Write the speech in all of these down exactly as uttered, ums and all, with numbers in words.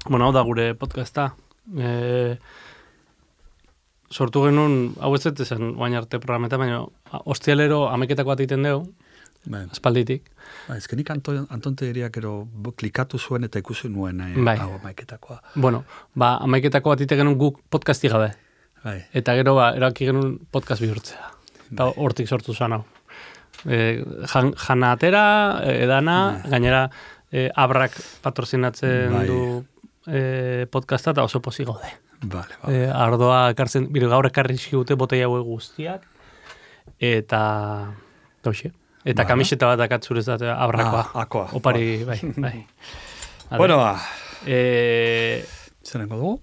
Bueno, hau da gure podcasta. E, sortu genuen, hau ez dut esan, guain arte programeta, baina ostialero ameketako bat egiten dugu, espalditik. Ba, ez genik Anton, Anton Tegeriak ero klikatu zuen eta ikusi nuen eh, bai. hau ameketakoa. Bueno, ba, ameketako bat egiten genuen guk podcasti gabe. Bai. Eta gero, ba, eraki genuen podcast bihurtzea. Eta Bai. hortik sortu zan hau. E, jan, jana atera, edana, bai. Gainera, e, abrak patrozinatzen bai. du e, podcasta eta oso pozik gaude. Vale, vale. E, ardoa ekartzen, bire gaur ekarri zigute botei hauek guztiak, eta, toxe, eta vale. Kamiseta bat akatzurez da abrakoa. Ah, akoa. Opari, bai, bai. Bueno, ba. E, Zerengo dugu?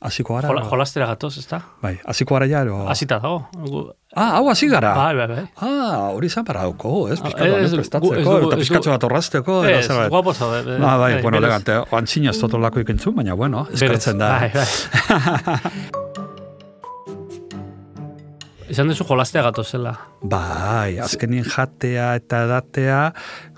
Hasiko gara? Jola, jolastera gatoz, ez da? Bai, hasiko gara ja, ero? Hasita dago. Ah, hau hasi gara? Bai, bai, bai. Ah, hori izan para dauko, ez? Piskatu Ez, honetu prestatzeko, eta piskatxo bat horrazteko. Ez, guapo zaude. Ah, bai, bueno, elegante. Oantzina ez totolako ikentzu, baina, bueno, eskertzen da. Bai, bai. Izan dezu jolastea gatozela. Bai, azkenien jatea eta edatea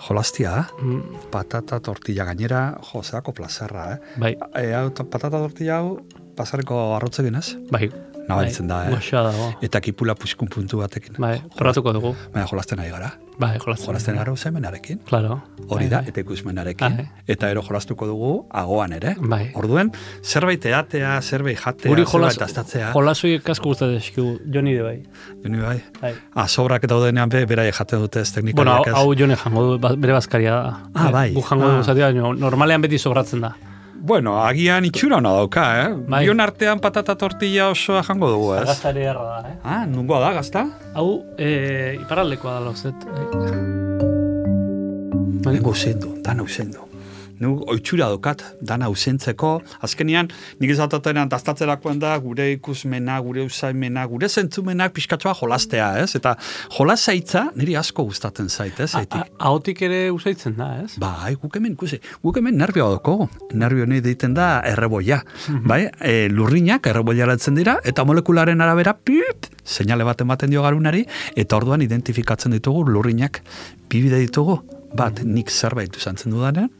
jolastia, Mm. patata tortilla gainera, jo, zeako plazerra, eh? Bai, E, hau, patata tortilla hau, pasareko arrotzekin ez? bai. Nabaritzen da, eh? Goxa dago. Eta kipula puskun puntu batekin. Bai, probatuko dugu. Baina jolasten ari gara. Bai, jolasten. Jolasten gara usaimenarekin. Claro. Hori Bai, da, bai. eta ikusmenarekin. Ah, Eta ero jolastuko dugu agoan ere. Bai. Orduen, zerbait edatea, zerbait jatea, Guri zerbait jolas, astatzea. jolasoiek asko gustatzen eskigu, Joni de bai. Joni bai. Bai. Ah, sobrak daudenean be, beraie jaten dute ez Bueno, teknikariak ez. hau Jone jango du, ba- bere bazkaria da. Ah, bai. Gu jango Ah. du zatea, baina normalean beti sobratzen da. Bueno, agian itxura hona dauka, eh? Bai. Bion artean patata tortilla osoa jango dugu, ez? Gaztare erra da, eh? Ah, nungoa da, gazta? Hau, e, iparraldekoa da lauzet. Nengo usendu, dana usendu. Nu oitxura dokat, dana usentzeko. Azkenian, nik izatotenan daztatzerakoen da, gure ikusmena, gure usaimena, gure zentzumenak pixkatxoa jolastea, ez? Eta jolasaitza niri asko gustatzen zait, ez? Ahotik ere usaitzen da, ez? Bai, guk hemen, ikusi, guk hemen nervioa doko. Nervio nahi deiten da erreboia. Bai, e, lurrinak erreboiaratzen dira, eta molekularen arabera, pip, seinale bat ematen dio garunari, eta orduan identifikatzen ditugu lurrinak. Bi bide ditugu, bat, nik zerbait uzantzen dudanean,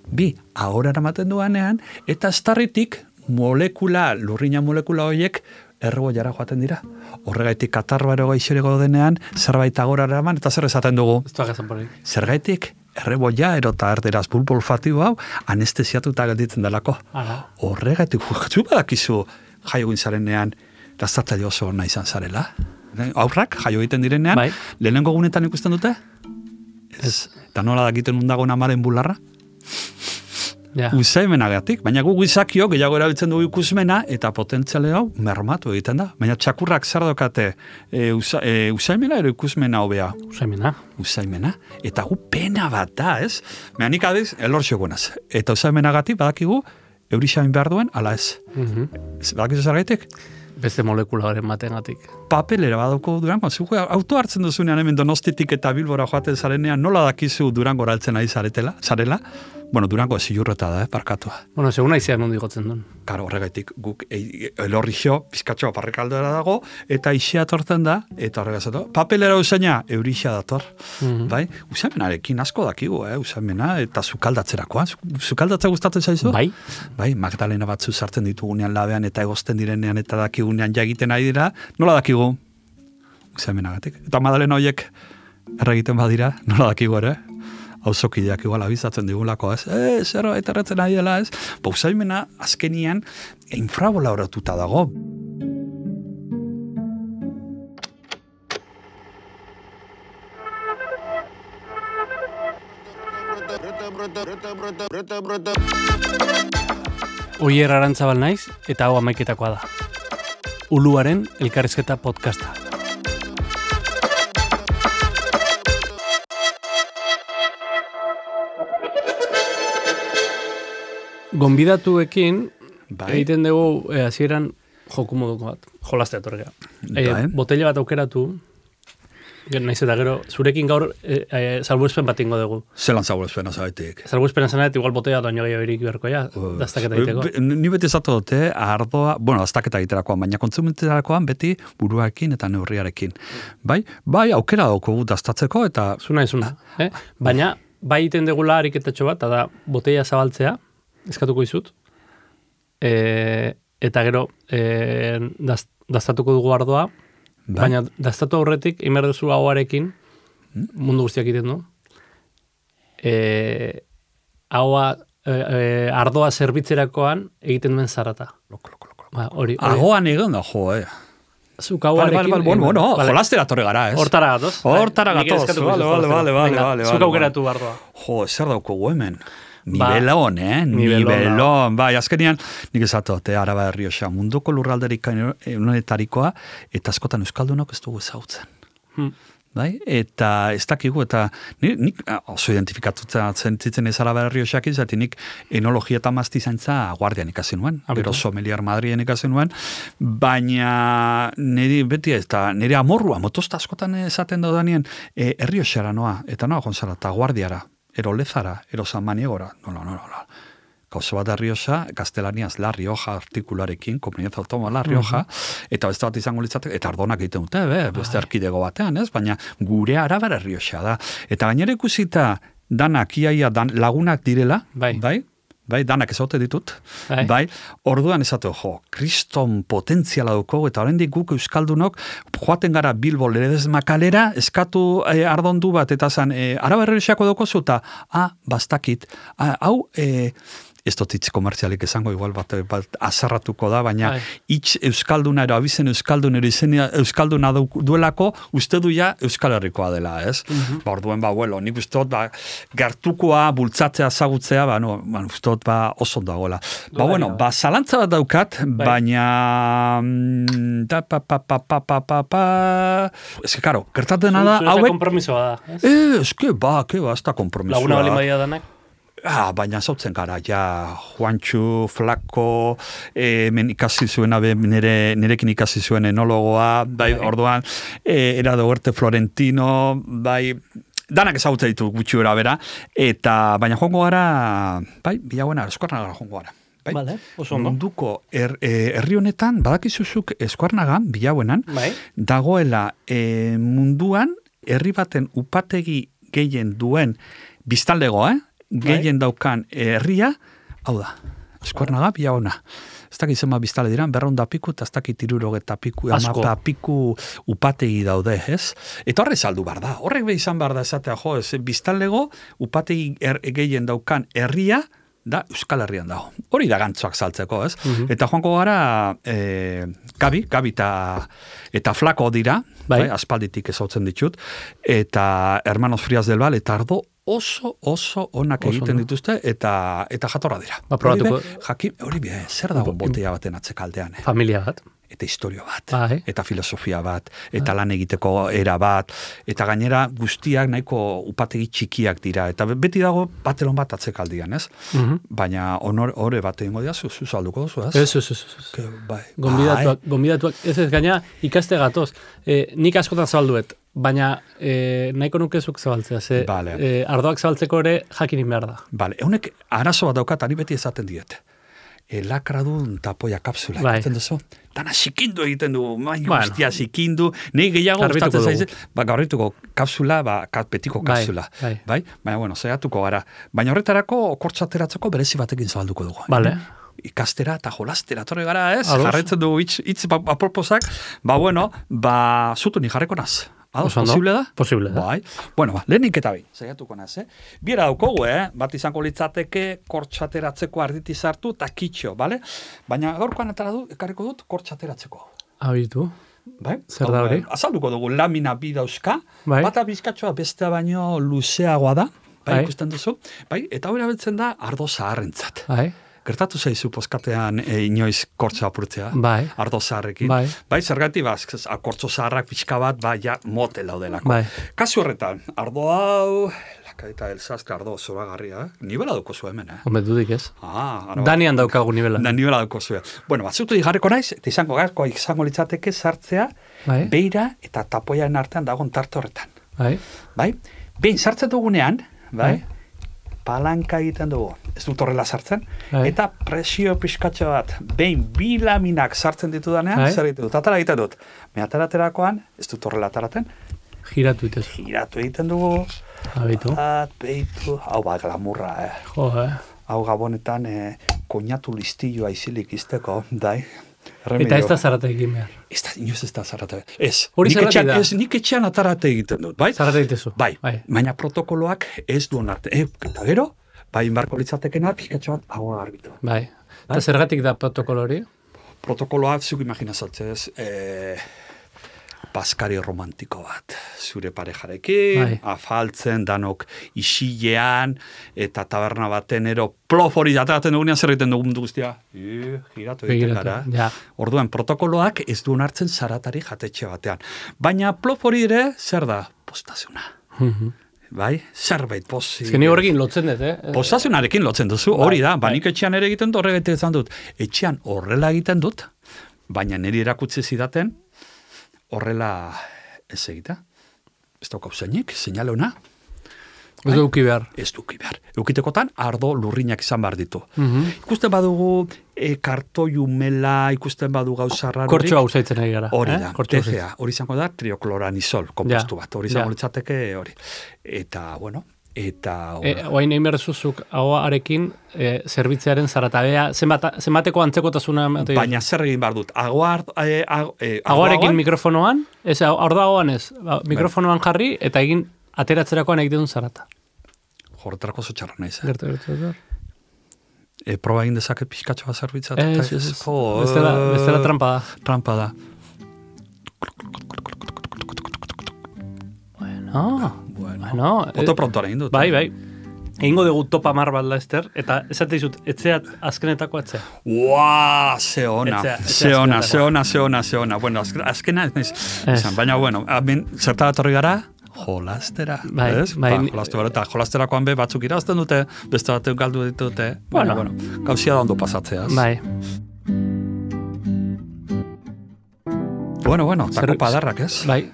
bi, ahora eramaten duanean, eta estarritik molekula, lurrina molekula horiek, erreboiara joaten dira. Horregaitik katarroa gaixoreko denean, zerbait agora eraman, eta zer esaten dugu. Ez duak esan porik. Zergaitik, erreboia, erota erderaz bulbo olfatibo hau, anestesiatuta gelditzen delako. Ara. Horregaitik, zu badakizu jaio egin zarenean, daztatzaile oso ona izan zarela. Aurrak, jaio egiten direnean, Bai. lehenengo gunetan ikusten dute? Ez. Eta nola dakiten undagoen amaren bularra? Ja. Usaimenagatik, baina gu gizakio gehiago erabiltzen dugu ikusmena eta potentziale hau mermatu egiten da. Baina txakurrak zer dokate e, usa, e, usaimena ero ikusmena hobea? Usaimena. Usaimena. Eta gu pena bat da, ez? Baina nik adiz, elortxo gonaz. Eta usaimenagatik badakigu eurixamin behar duen, ala ez. Mhm. Ez, badakizu zergaitik? Beste molekula horren batengatik. Papelera badauko Durango. Zuko auto hartzen duzunean hemen Donostitik eta Bilbora joaten zarenean, nola dakizu Durango altzen ari zaretela, zarela? Bueno, Durango zilurreta da, eh, parkatua. Bueno, segun aizean nondi gotzen duen. Karo, horregaitik guk e, elorri jo, pizkatxoa parrekaldera dago, eta isea torten da, eta horregazatu. Papelera usaina, eurixea dator. Mhm. Bai? Usamenarekin asko dakigu, eh, usamena, eta zukaldatzerakoa. Zukaldatza gustatzen zaizu? Bai. Bai, Magdalena batzu sartzen ditugunean labean, eta egozten direnean, eta dakigunean jagiten ari dira, nola dakigu? Usamenagatik. Eta Magdalena horiek erregiten badira, nola dakigu ere? Hauzokideak igual abizatzen digulako, ez? Eh, zerbait erretzen ari dela, ez? Pausaimena azkenian infraboloratuta dago. Oier Arantzabal naiz, eta hau amaiketakoa da. Uluaren elkarrizketa podcasta. Gonbidatuekin Bai. egiten dugu eh, hasieran joku moduko bat, jolastea torrea. Bai. Eh, botella bat aukeratu, naiz eta gero, zurekin gaur eh, eh, salbuespen bat ingo dugu. Zelan zabolezpena zaitik. Salbuespen zanet, igual botella bat oino gehiago irik beharko ja, daztaketa egiteko. Ni beti zatu dute, ardoa, bueno, daztaketa egiterakoan, baina kontsumenterakoan beti buruarekin eta neurriarekin. Bai, bai, aukera dauko daztatzeko eta... Zuna ezuna, eh? Baina, bai iten degula ariketatxo bat, eta da botella zabaltzea, eskatuko izut, e, eta gero e, daz, daztatuko dugu ardoa, bai. Baina daztatu aurretik, imer duzu hauarekin, hmm? mundu guztiak egiten du, e, haua, e, e, ardoa zerbitzerakoan egiten duen zarata. Loko, loko, loko. Ba, hori, hori. Ahoan egon da, jo, eh. Zuk hauarekin... Vale, vale, vale, bueno, no, vale. Jolastera torre gara, ez? Hortara gatoz. Hortara gatoz, vale, vale, vale, vale, vale. Zuk aukeratu ardoa. Jo, zer dauko hemen. Nibelon, eh? Nibelon, bai, azkenian, nik esatote, Araba Errioxa, munduko lurralderik unetarikoa, eta askotan euskaldunok ez dugu ezautzen. Hmm. Bai? Eta ez dakigu, eta nik, nik oso identifikatuta zentitzen ez Araba Errioxak izati, nik enologia eta maztizaintza guardian ikasi nuen, pero sommelier Madrien ikasi nuen, baina niri beti ez, eta nire amorrua, motosta askotan esaten daudanien, e, Errioxara noa, eta noa gonzara, eta guardiara, ero lezara, ero San Maniegora, no, no, no, no. Gauza bat da Rioja, gaztelaniaz La Rioja artikularekin, komunidad automa La Rioja, uh-huh. eta beste bat izango litzatek, eta ardonak egiten dute, be, beste arkidego batean, ez? Baina gure Araba Rioja da. Eta gainera ikusita danak, iaia dan, lagunak direla, bai, bai? Bai, danak ezaute ditut, bai, bai orduan esatu, jo, kriston potentziala duko, eta oraindik guk euskaldunok, joaten gara Bilbo Ledez Makalera, eskatu eh, ardondu bat, eta zan, eh, Araba Errioxako duko zuta, ah, bastakit, ah, hau, eh, ez dut hitz komertzialik esango, igual bat, bat azarratuko da, baina Ai. Hitz euskalduna ero, abizen euskaldunero izenia euskalduna duelako, uste du ja Euskal Herrikoa dela, ez? Uh-huh. Ba, orduen, ba, bueno, nik uste dut, ba, gertukoa, bultzatzea, zagutzea, ba, no, ba, uste dut, ba, oso dagoela. Ba, Duaria. Bueno, ba, zalantza bat daukat, bai. Baina, da, pa, pa, pa, pa, pa, pa, pa, ez que, karo, gertatzen da, hauek... kompromisoa da, ez? Eh, ez que, ba, que, ba, ez da kompromisoa. Laguna bali maia danak? Ah, baina zautzen gara, ja, Juantxu, Flako, eh, men ikasi zuena, nire, nirekin ikasi zuen enologoa, bai, bai. Orduan, eh, era de Huerte Florentino, bai, danak ezagutza ditu gutxi bera bera, eta, baina joango gara, bai, bilaguena, eskorna gara joango gara. Bai? Vale, oso ondo. Munduko er, eh, herri honetan, badakizuzuk eskuarnagan, bilauenan, bai. Dagoela eh, munduan, herri baten upategi gehien duen biztanlegoa, eh? Gehien daukan herria, hau da, eskuarnaga, bilauna. Ez dakit zema biztale diran, berronda piku, eta ez dakit irurogeta piku, amapa piku upategi daude, ez? Eta horre saldu bar da, horrek behi izan bar da esatea, jo, ez, biztalego upategi er, gehien daukan herria, da Euskal Herrian dago. Hori da gantzoak saltzeko, ez? Uh-huh. Eta joango gara, e, Gabi, Gabi eta, eta Flako dira, bai. Bai, aspalditik ezautzen ditut, eta Hermanos Frias del Val, eta ardo oso, oso onak oso egiten no. dituzte, eta eta jatorra dira. Ba, probatuko. Jakin, hori be, zer dago botea baten atzekaldean, eh? Familia bat. Eta historio bat, Ai. Eta filosofia bat, eta lan egiteko era bat, eta gainera guztiak nahiko upategi txikiak dira, eta beti dago batelon bat atzekaldian, ez? Uh-huh. Baina honor, hore bat egingo dira, zu salduko duzu, ez? Ez, ez, ez. Bai. Gombidatuak, gombidatuak, ez ez, gaina ikaste gatoz, e, nik askotan zabalduet, baina e, nahiko nukezuk zabaltzea, ze vale. e, ardoak zabaltzeko ere jakinin behar da. Bale, eunek arazo bat daukat, ari beti esaten diet. E, lakradun tapoia kapsula bai. Egiten duzu. Dana sikindu egiten du, baina bueno. Guztia sikindu, nahi gehiago gustatzen zaiz, ba, gaurrituko kapsula, ba, betiko kapsula. Bai, bai. Bai? Baina, bueno, zaiatuko gara. Baina horretarako, kortzateratzeko berezi batekin zabalduko dugu. Vale. Ikastera eta jolastera, torre gara, ez? Ados. Jarretzen dugu hitz, hitz aproposak, ba, bueno, ba, zutu ni jarreko naz. Ados, posible da? Posible da. Bai. Bueno, ba, lehenik eta bi, zaiatuko naz, eh? Biera daukogu, eh? Bat izango litzateke kortxateratzeko arditi sartu eta kitxo, bale? Baina gaurkoan etara du, ekarriko dut kortxateratzeko. Abitu. Bai? Zer da hori? Azalduko dugu lamina bi dauzka, bai. Bata bizkatxoa bestea baino luzeagoa da, bai, bai. Ikusten duzu, bai? Eta hori abiltzen da ardo zaharrentzat. Bai. Gertatu zaizu poskatean e, inoiz kortzo apurtzea, bai. Ardo zaharrekin. Bai, bai zergati baz, kortzo zaharrak pixka bat, bai, ja, mote laudelako. Bai. Kasu horretan, ardo hau, lakaita elzazte ardo zoragarria, eh? Nibela duko zu hemen, eh? Hombre, dudik ez. Ah, Danian daukagu nibela. Da, nibela duko zu. Bueno, batzutu digarreko naiz, eta izango gazkoa izango litzateke sartzea, bai. Beira eta tapoiaren artean dagoen tarte horretan. Bai. Bai, behin sartzen dugunean, bai, bai. Palanka egiten dugu, ez dut horrela sartzen, Hai. Eta presio pixkatxo bat, behin bi laminak sartzen ditudanean, Hai. Zer egiten dut, atara egiten dut. Me ataraterakoan, ez dut horrela ataraten, giratu egiten. Giratu egiten dugu, Abitu. Bat, behitu, hau ba, glamurra, eh. Jo, eh. Hau gabonetan, eh, koñatu listilloa izilik izteko, dai. Remedio. Eta ez da zarate egin behar. Ez da, inoz ez da zarate. Ez, hori nik etxean, da. Ez, nik etxean atarate egiten dut, bai? Zarate egitezu. Bai, bai. Baina protokoloak ez duen arte. E, eta gero, bai, inbarko litzatekena, pixkatxo bat, agua garbitu. Bai. Eta bai? Zergatik da protokolo hori? Protokoloa, zuk imaginazatzez, eh, paskari romantiko bat, zure parejarekin, bai. Afaltzen, danok isilean, eta taberna baten ero plof hori ateratzen dugunean zer egiten dugun guztia. I, giratu egiten gara. Ja. Orduan, protokoloak ez duen hartzen zaratari jatetxe batean. Baina plof hori ere, zer da? Postazuna. Mm-hmm. Bai, zerbait posi. Ezkeni horrekin lotzen dut, eh? Postazunarekin lotzen duzu, hori da. Banik etxean ere egiten dut, horregatik izan dut. Etxean horrela egiten dut, baina niri erakutsi zidaten, horrela ez egita. Ez daukau zeinik, seinale ona. Ez duki behar. Ez duki behar. Eukitekotan, ardo lurrinak izan behar ditu. Mm-hmm. Ikusten badugu e, kartoi umela, ikusten badu gauzarra. Kortxoa usaitzen ari gara. Hori eh? da, T C A. Hori izango da, triokloranisol, kompostu bat. Hori izango litzateke hori. Eta, bueno, eta... E, oain egin behar zuzuk, ahoarekin, e, zerbitzearen zaratabea, zenbat, zenbateko antzekotasuna... Baina zer egin behar dut, agoar... E, ag, e, ahoarekin mikrofonoan, ez, hor da ahoan ez, mikrofonoan jarri, eta egin ateratzerakoan egiten duen zarata. Horretarako zotxarra nahi zen. Gertu, gertu, gertu. E, proba egin dezaket pixkatxoa zerbitzat. Ez, ez, ez. Bestela, bestela trampa da. Trampa da. Bueno, bueno. bueno Oto prontoa egin dut. Bai, bai. Egingo dugu topa mar bat Laster, eta esate izut, etzeat azkenetako etzea. Ua, ze ona, ze ona, ze ona, ze ona, ze ona. Bueno, azkena ez naiz. Baina, bueno, zerta bat horri gara, jolastera. Bai, ez? bai. Ba, jolastera, eta jolasterakoan be batzuk irazten dute, beste bat galdu ditute. Bueno, bueno, gauzia da ondo pasatzeaz. Bai. Bueno, bueno, tako padarrak, ez? Bai.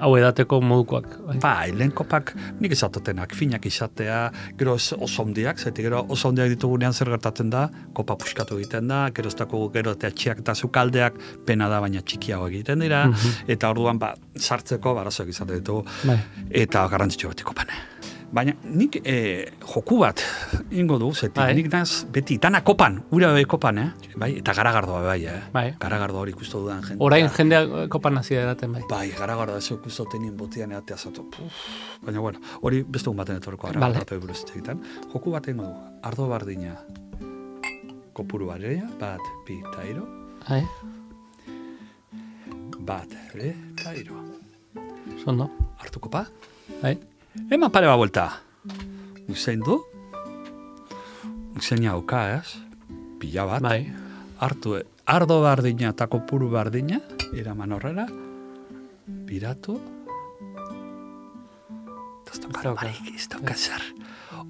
Hau edateko modukoak. Bai, bai lehen kopak nik izatotenak, finak izatea, gero oso ondiak, zaitik gero oso ondiak ditugunean zer gertatzen da, kopa puskatu egiten da, gero ez dago gero eta txiak eta zukaldeak, pena da baina txikiago egiten dira, mm-hmm. eta orduan ba, sartzeko barazoak izate ditugu, bai. Eta garrantzitsu beti kopane. Baina nik e, joku bat ingo du, zetik, bai. Nik naz beti, dana kopan, ura bai kopan, eh? Bai, eta garagardoa bai, eh? Bai. Garagardoa hori ikustu dudan jendea. Orain jendea kopan hasi eraten, bai. Bai, garagardoa ez ikustu tenien botian eatea zatu. Baina, bueno, hori beste un baten etorko garagardoa vale. Buruz egiten. Joku bat ingo du, ardo bardina, kopuru bareia, bat, bi, eta iro. Bai. Bat, re, eta iro. Zondo. Artu kopa. Bai. Eman pare ba vuelta. Usain du. Usain hauka, ez? Pila bat. Bai. Hartu, ardo bardina eta kopuru bardina, eraman horrela, biratu. Ez dauka barik, ez dauka zer.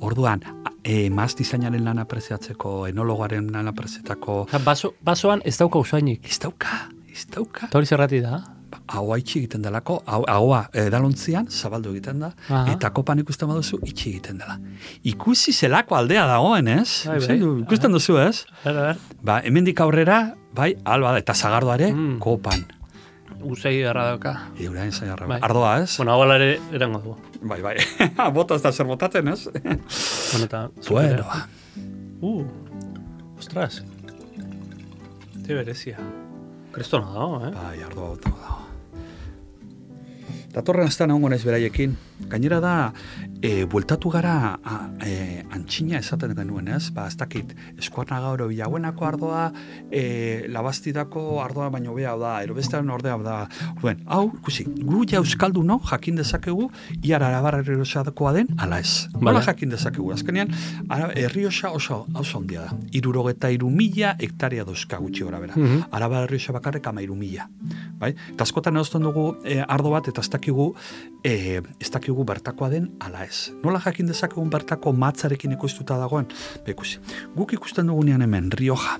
Orduan, e, maz dizainaren lan apreziatzeko, enologaren lan apreziatako... Baso, basoan ez dauka usainik. Ez dauka, ez dauka. Eta hori zerrati da? Ahoa itxi egiten delako, ahoa edalontzian zabaldu egiten da, aha. Eta kopan ikusten baduzu itxi egiten dela. Ikusi zelako aldea dagoen, ez? Bai, bai. Ikusten duzu, ez? Ber, ber. Ba, hemendik aurrera, bai, alba da, eta zagardoare, mm. kopan. Uzei erra dauka. Eurain zai erra. Bai. Ardoa, ez? Bueno, hau ere erango du. Bai, bai. Bota ez da zer botatzen, ez? Bueno, eta... Bueno. Uh, ostras. Te berezia. Kristona dago, eh? Bai, ardoa bota dago. Datorren aztan egongo naiz beraiekin. Gainera da, e, bueltatu gara a, e, antxina esaten genuen, ez? Ba, ez dakit, eskuarna gauro bilaguenako ardoa, e, labastidako ardoa baino beha da, erobestean ordea da. Duen, hau, ikusi, gu ja euskaldu no, jakin dezakegu, iar arabar erriosakoa den, ala ez. Nola vale. Jakin dezakegu, azkenean, erriosa oso, oso ondia da. Irurogeta iru mila hektaria dozka gutxi gora bera. Mm-hmm. Arabar erriosa bakarrek ama iru mila. Bai? Eta askotan erosten dugu e, ardo bat, eta ez dakigu, e, ez dakigu bertakoa den, ala ez. Nola jakin dezakegun bertako matzarekin ikustuta dagoen? Bekusi, guk ikusten dugunean hemen Rioja,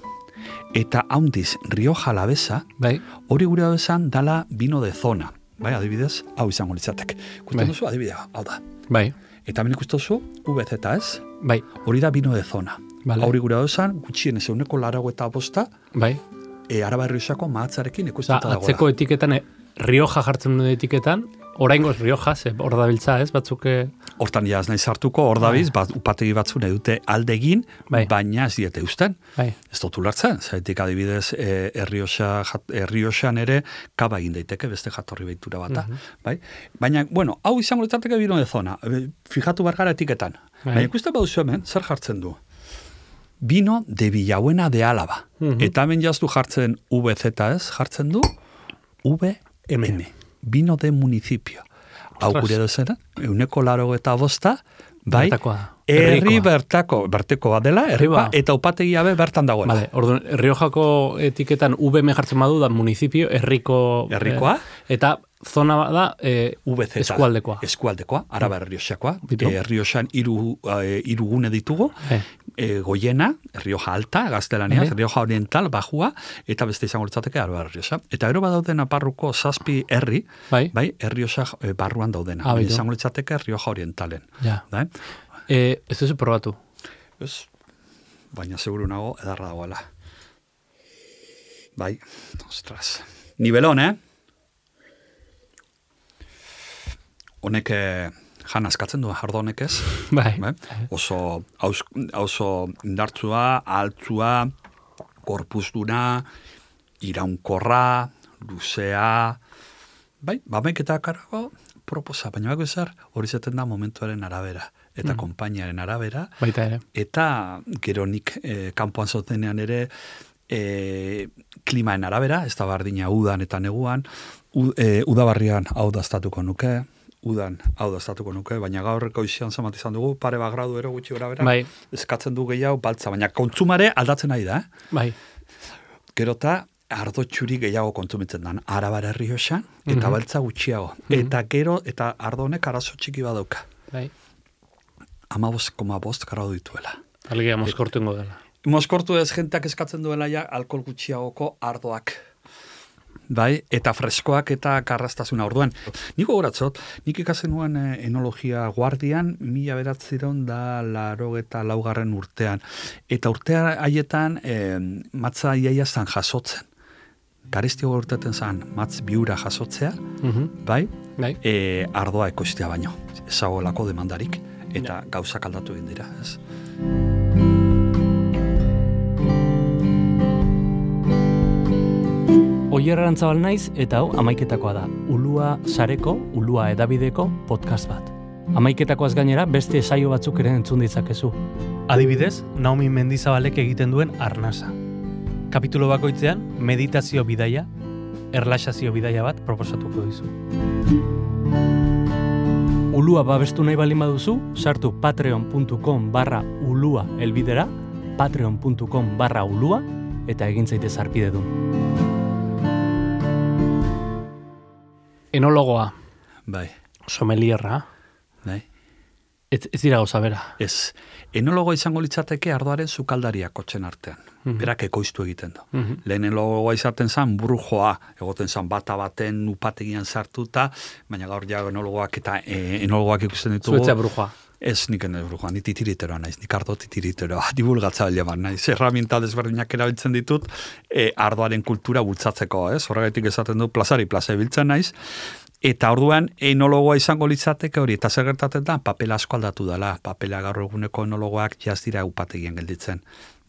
eta haundiz Rioja Alavesa, bai. Hori gure abesan dala vino de zona. Bai, adibidez, hau izango litzatek. Ikusten bai. Duzu, adibidea, hau da. Bai. Eta hemen ikusten duzu, V Z, ez? Bai. Hori da vino de zona. Vale. Hori gure abesan, gutxien ez euneko larago eta bosta, bai. E, Araba Errioxako matzarekin ikustuta dagoela. Atzeko etiketan, e, Rioja jartzen duen etiketan, oraingoz Rioja, ze hor da biltza, ez, batzuk... hortan jaz nahi sartuko, hor dabiz, bat, upategi batzu nahi dute aldegin, bai. Baina ez diete usten. Bai. Ez dut ulertzen, zaitik adibidez, e, Errioxa, Errioxan ere, kaba egin daiteke, beste jatorri behitura bata. Uh-huh. Bai? Baina, bueno, hau izango litzateke bino de zona, fijatu bargara etiketan. Bai. Baina ikusten baduzu hemen, zer jartzen du? Bino de Villabuena de Álava. Uh-huh. Eta hemen jaztu jartzen V Z ez, jartzen du V M. Bino de municipio. Hau gure duzera, euneko laro eta bosta, bai, herri bertako, bertekoa dela, herrikoa, eta upategia be bertan dagoela. Vale, orduan, Riojako etiketan V M jartzen badu da municipio, herriko... Herrikoa? Eh, eta zona da eh, V Z, eskualdekoa. Eskualdekoa, araba Errioxakoa. Errioxan hiru eh, irugune ditugu, eh. E, Goiena, Rioja Alta, gaztelaniaz, uh-huh. Rioja Oriental, Bajua, eta beste izango litzateke araba Errioxa. Eta ero badauden aparruko zazpi herri, bai, bai Errioxa e, barruan daudena. Ah, izango litzateke Rioja Orientalen. Ja. Bai? E, ez duzu probatu? Ez, baina seguru nago edarra dagoela. Bai, ostras. Nibelon, eh? Honek... Jan askatzen du, jardo honek ez. Bai. Bai? Oso, aus, oso indartzua, altzua, korpuzduna, iraunkorra, luzea, bai, bamek eta karago, proposa, baina bako ezer, hori zaten da momentuaren arabera, eta mm. konpainiaren arabera. Baita ere. Eta gero nik eh, kanpoan zotenean ere, eh, klimaen arabera, ez da bardina udan eta neguan, u, eh, udabarrian hau daztatuko nuke, udan hau daztatuko nuke, baina gaurreko izian zamat izan dugu, pare bat gradu ero gutxi gora bera, bai. Eskatzen du gehiago baltza, baina kontzumare aldatzen nahi da, eh? Bai. Gerota, ardo txuri gehiago kontsumitzen dan, Arabara Errioxan, eta mm-hmm. baltza gutxiago. Mm-hmm. Eta gero, eta ardo honek arazo txiki badauka. Bai. Amabost koma bost gradu dituela. Alegia, moskortu ingo dela. Moskortu ez jenteak eskatzen duela ja, alkohol gutxiagoko ardoak. Bai, eta freskoak eta karrastasuna orduan. Niko goratzot, nik ikasen nuen eh, enologia guardian, mila beratziron da laro eta laugarren urtean. Eta urtea haietan eh, matza iaia zan jasotzen. Garestio urteten zan matz biura jasotzea, mm-hmm. bai, bai. E, ardoa ekostea baino. Ezagolako demandarik, eta ja. Gauzak aldatu egin dira, ez? Oier Arantzabal naiz eta hau amaiketakoa da. Ulua sareko, Ulua edabideko podcast bat. Amaiketakoaz gainera beste saio batzuk ere entzun ditzakezu. Adibidez, Naomi Mendizabalek egiten duen arnasa. Kapitulo bakoitzean meditazio bidaia, erlaxazio bidaia bat proposatuko dizu. Ulua babestu nahi baldin baduzu, sartu patreon.com barra ulua elbidera, patreon.com barra ulua, eta egin zaitez arpide du. Enologoa. Bai. Somelierra. Bai. Ez, ez dira gauza bera. Ez. Enologoa izango litzateke ardoaren sukaldaria kotzen artean. Mm-hmm. Berak ekoiztu egiten du. Mm-hmm. Lehen enologoa izaten zan brujoa, egoten zan bata baten upategian sartuta, baina gaur ja enologoak eta e, enologoak ikusten ditugu. Zuetzea brujoa. Ez nik ene brujoa, ni titiriteroa naiz, nik ardo titiriteroa, divulgatzailea bat naiz. Erraminta desberdinak erabiltzen ditut, e, ardoaren kultura bultzatzeko, ez? Horregatik esaten du plazari plaza biltzen naiz, eta orduan enologoa izango litzateke hori, eta zer gertatzen da, papela asko aldatu dela, papela gaur eguneko enologoak jaz dira upategian gelditzen.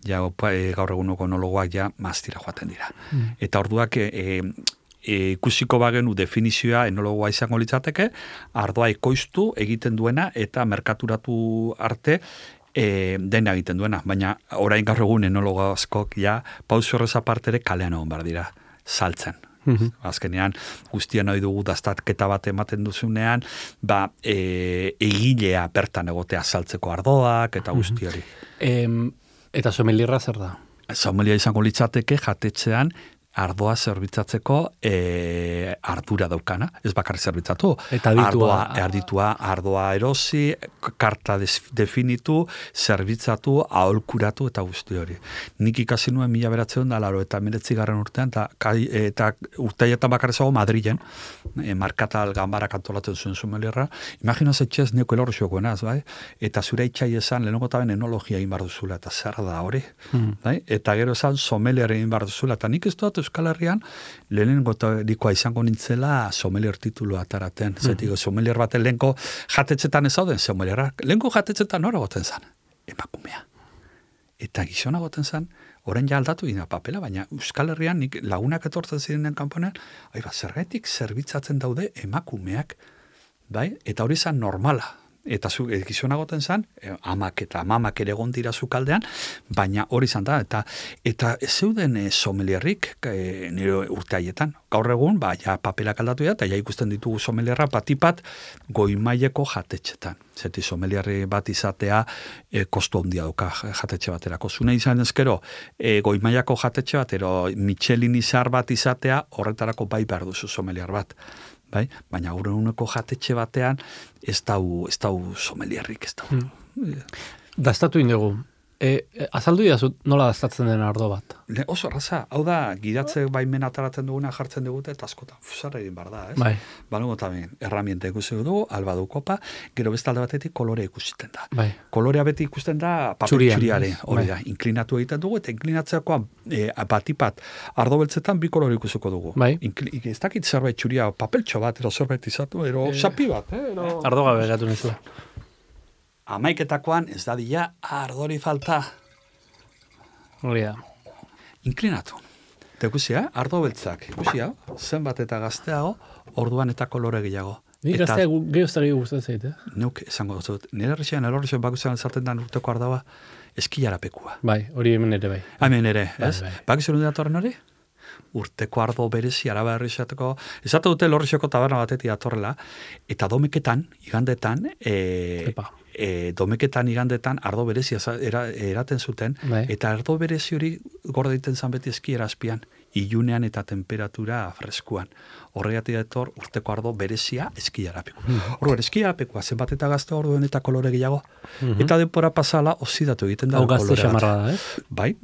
Ja, gaur eguneko enologoak ja maztira joaten dira. Mm. Eta orduak e, e, E, ikusiko bagenu definizioa enologoa izango litzateke, ardoa ekoiztu egiten duena eta merkaturatu arte e, dena egiten duena. Baina orain gaur egun enologo askok ja pauso horrez apartere kalean egon behar dira, saltzen. Mm-hmm. Azkenean guztian nahi dugu daztatketa bat ematen duzunean, ba, e, egilea bertan egotea saltzeko ardoak eta guzti hori. Mm-hmm. E, eta somelierra zer da? Somelia izango litzateke jatetxean ardoa zerbitzatzeko e, ardura daukana, ez bakarri zerbitzatu. Eta aditua. Ardoa, arditua, ardoa erosi, karta definitu, zerbitzatu, aholkuratu eta guzti hori. Nik ikasi nuen mila beratzen da, laro eta meretzi garren urtean, eta, eta urteietan bakarri zago Madrilen, e, markatal gambarak antolatzen zuen somelierra. Imagina zetxez neko elorri xokoenaz, bai? Eta zure itxai esan, lehenoko taben enologia egin bar duzula, eta zer da hori. Hmm. Bai? Eta gero esan somelier egin bar duzula, eta nik ez dut Euskal Herrian, lehenengo dikoa izango nintzela sommelier titulu ataraten. Mm. Zetiko, sommelier baten lehenko jatetxetan ez zauden sommelierak. Lehenko jatetxetan nora goten zan? Emakumea. Eta gizona goten zan, orain ja aldatu dina papela, baina Euskal Herrian nik lagunak etortzen zirenen kanponean, ai ba, zergatik zerbitzatzen daude emakumeak, bai? Eta hori zan normala. Eta zu, gizona goten zan, amak eta mamak ere egon dira zukaldean, baina hori zan da, eta eta ez zeuden e, sommelierrik e, nire urte haietan. Gaur egun, ba, ja papelak aldatu da, eta ja ikusten ditugu sommelierra batipat goimaileko jatetxetan. Zeti sommelierri bat izatea e, kostu handia duka jatetxe baterako. Zune izan ezkero, e, goimailako jatetxe bat, ero Michelin izar bat izatea, horretarako bai behar duzu sommelier bat. Bai? Baina gaur eguneko jatetxe batean ez dau, ez dau sommelierrik, ez dau. Hmm. Dastatu indugu. E, e, azaldu idazut nola dastatzen den ardo bat? Le, oso raza, hau da, gidatze baimen ataratzen duguna jartzen dugute, eta askotan, fusarra egin bar da, ez? Bai. Balugu tamen, erramienta ikusi dugu, alba du kopa, gero bestalde batetik kolore ikusiten da. Bai. Kolorea beti ikusten da papel Txurian, txuriare, hori bai. da, inklinatu egiten dugu, eta inklinatzeakoan e, batipat ardo beltzetan bi kolore ikusiko dugu. Bai. Inkli, ez dakit zerbait txuria, papeltxo bat, ero zerbait izatu, ero E, xapi bat, eh? Ero... Ardo gabe gatu nizula. Amaiketakoan ez da dila ardori falta. Hori da. Inklinatu. Eta ikusia, ardo beltzak, ikusia, zenbat eta gazteago, orduan eta kolore gehiago. Ni Eta- gaztea gehioztari gustatzen zait, eh? Neuk esango dut, nire herrixean, elorrixean bakutzen zarten den urteko ardaua, eskilarapekua. Bai, hori hemen ere bai. Hemen ere, Bai, ez? bai. Bakizu nire datorren hori? Urteko ardo berezi, araba herrixateko, esate dute elorrixeko taberna batetik datorrela, eta domeketan, igandetan, e, Epa. e, domeketan igandetan ardo berezi eza- era, eraten zuten, Bai. eta ardo berezi hori gorde egiten zan beti eskiera azpian, ilunean eta temperatura freskuan. Horregatik dator urteko ardo berezia eskiarapeku. Mm. Orduan, eskiarapekua zenbat eta gazte orduen eta kolore gehiago, eta denpora pasala oxidatu egiten da. Hau gazte kolorea bat. xamarra da, eh? Bai,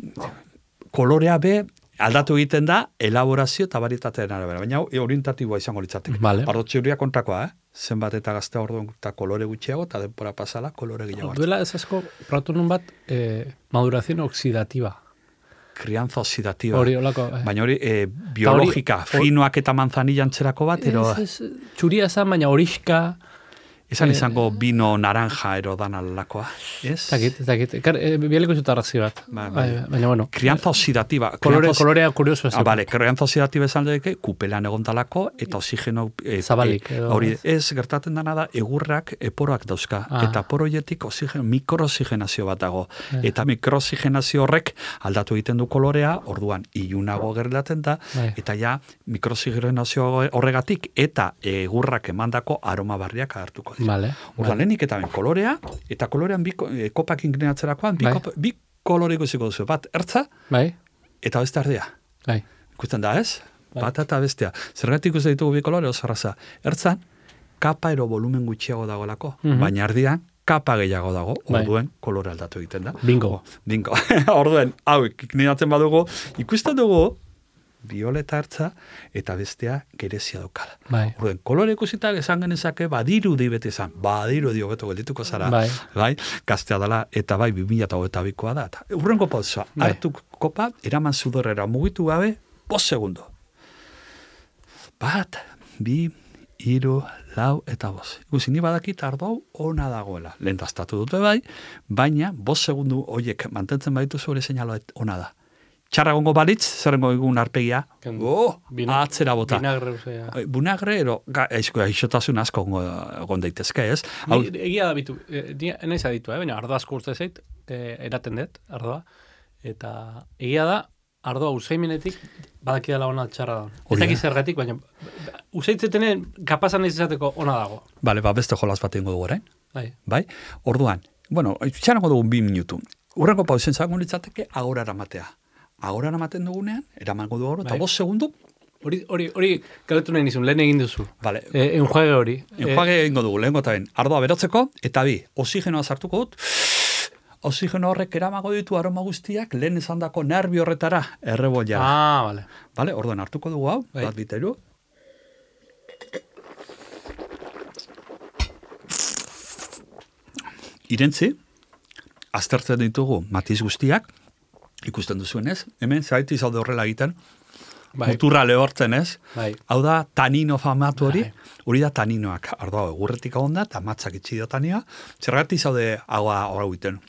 kolorea be aldatu egiten da elaborazio eta varietatearen arabera, baina hau orientatiboa izango litzateke. Vale. Ardo txuria kontrakoa, eh? Zenbat eta gazte orduen eta kolore gutxiago, eta denpora pasala kolore gehiago. Duela ez asko, probatu nun bat, eh, maduración oxidativa. Krianza oxidativa. Hori, holako. Eh. Baina hori, e, biologika, hori- finoak eta manzanilla antzerako bat, ero, Ez, ez, txuria esan, baina horixka, esan eh, izango bino naranja ero dan alakoa, ez? ez dakit, ez dakit. Kar, e, bialeko zut arrazi bat. Bai, bai. Bai, baina, bueno. Krianza oxidativa. Kolore, Krianza- kolorea kurioso ez. Ah, vale, krianza oxidativa esan deke, kupelan egon talako, eta oxigeno... E, Zabalik, e, edo, hori, ez? ez, gertatzen dana da, egurrak eporoak dauzka, Ah. eta poroietik oxigen, mikrooxigenazio bat dago. Eh. Eta mikrooxigenazio horrek aldatu egiten du kolorea, orduan ilunago gerlaten da, Bai. eta ja mikrooxigenazio horregatik, eta egurrak emandako aroma barriak agertuko dira. Vale. Orduan, lehenik eta ben kolorea, eta kolorean bi, ko- e, kopak inklinatzerakoan, bi, Bai. kop, bi kolore ikusiko duzu, bat ertza, Bai, eta beste ardea. bai. Ikusten da, ez? Bai. Bata eta bestea. Zergatik ikusten ditugu bi kolore oso erraza. Ertzan, kapa ero volumen gutxiago dagoelako, Mhm. baina ardian, kapa gehiago dago, Bai. orduen kolore aldatu egiten da. Bingo. Oh, bingo. Orduen, hau, iklinatzen badugu, ikusten dugu, violeta ertza, eta bestea gerezia daukala. Bai. Orduen, kolore ikusita esan genezake, badiru di beti esan, badiru di hobeto geldituko zara, Bai. bai, gaztea dela, eta bai, bi mila hogeita bikoa da. Eta urrengo pausa, Bai. hartu kopa, eraman sudorrera mugitu gabe, bost segundo. Bat, bi, hiru, lau eta bost. Ikusi, ni badakit ardo ona dagoela. Lehen dastatu dute bai, baina bost segundu horiek mantentzen baditu zure seinalo ona da. Txarra gongo balitz, zerrengo egun arpegia, Kendu. oh, Bina- atzera bota. Vinagre, osea. Bunagre, ero, ga, eizko, aixotasun asko gongo, egon daitezke, ez? Hau, Ni, egia da bitu, e, ni naiz aditu, eh? baina ardoa asko urte zait, e, eraten dut, ardoa, eta egia da, ardoa usaimenetik badaki dela ona txarra da. Ez Hori da. dakit zergatik, baina usaitzetenen kapazan naiz izateko ona dago. bale, ba, beste jolas bat ingo dugu orain. Bai. Bai? Orduan, bueno, txanako dugu bi minutu. Urrengo pausen zango litzateke agora eramatea. Agora eramaten dugunean, eramango dugu, eta Bai. bost segundu, Hori, hori, hori, galetu nahi nizun, lehen egin duzu. vale, E, enjuage hori. enjuage egingo dugu, lehenko eta ben, ardoa berotzeko, eta bi, oxigenoa sartuko dut, oxigeno horrek eramago ditu aroma guztiak, lehen esandako nervi horretara, E, erreboiara. ah, vale. Vale, orduan hartuko dugu hau, Bai. bat biteru. Irentzi, aztertzen ditugu matiz guztiak, ikusten duzuenez, hemen zaiti zaude horrela egiten, bai. muturra lehortzen, ez? Bai. Hau da, tanino famatu hori, Bai. hori da taninoak. Ardoa, egurretik agonda, eta matzak itxi dio tanioa. Zergatik zaude agua hori egiten.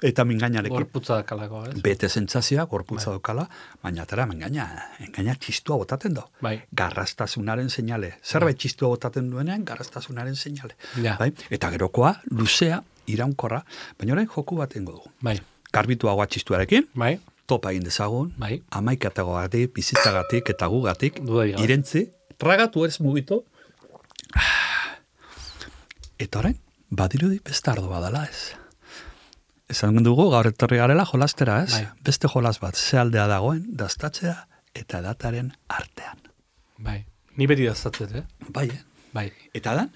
Eta mingainarekin. Gorputza dakalako, ez? Bete sentsazioa, gorputza daukala, baina atara, mingaina, mingaina txistua botaten do. Bai. Garrastasunaren seinale. Zerbait txistua botaten duenean, garrastasunaren seinale. Ja. Bai? Eta gerokoa, luzea, iraunkorra, baina orain joku bat ingo dugu. Bai. Garbitu agua txistuarekin, Bai. topa egin dezagun, Bai. amaikatagogatik, bizitzagatik eta gugatik, Dudarik gabe. irentzi, tragatu ez mugitu, eta orain, badirudi beste ardo badala ez. Esan dugu, gaur etorri garela jolastera, ez? Bai. Beste jolas bat, ze aldea dagoen, daztatzea eta dataren artean. Bai. Ni beti daztatzet, eh? Bai, eh? Bai. Eta dan?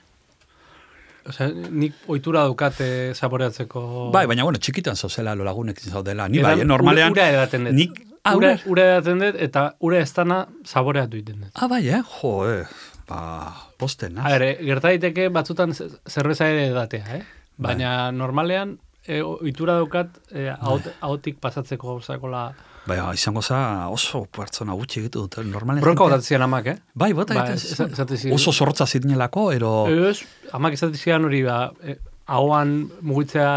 Osea, nik ohitura daukate saboreatzeko... Bai, baina, bueno, txikitan zauzela lo lagunekin zaudela. Ni Edan bai, eh? Normalean... Ura edaten dut. Nik, ah, ura, ura, ura edaten dut, eta ura ez dana saboreatu iten dut. ah, bai, eh? Jo, eh? Ba, posten, A ber, gerta daiteke batzutan ze- zerbeza ere edatea, eh? Baina normalean, e, ohitura daukat, e, ahot, ahotik pasatzeko gauzakola... Bai, izango za oso pertsona gutxi egitu dute. Normalen Bronka jentea- botatzean amak, eh? Bai, bota Ba, egiten ez- zuen. esate ziren. Oso zorrotza zidinelako, ero... Ez, amak esatezian hori ba, e, ahoan mugitzea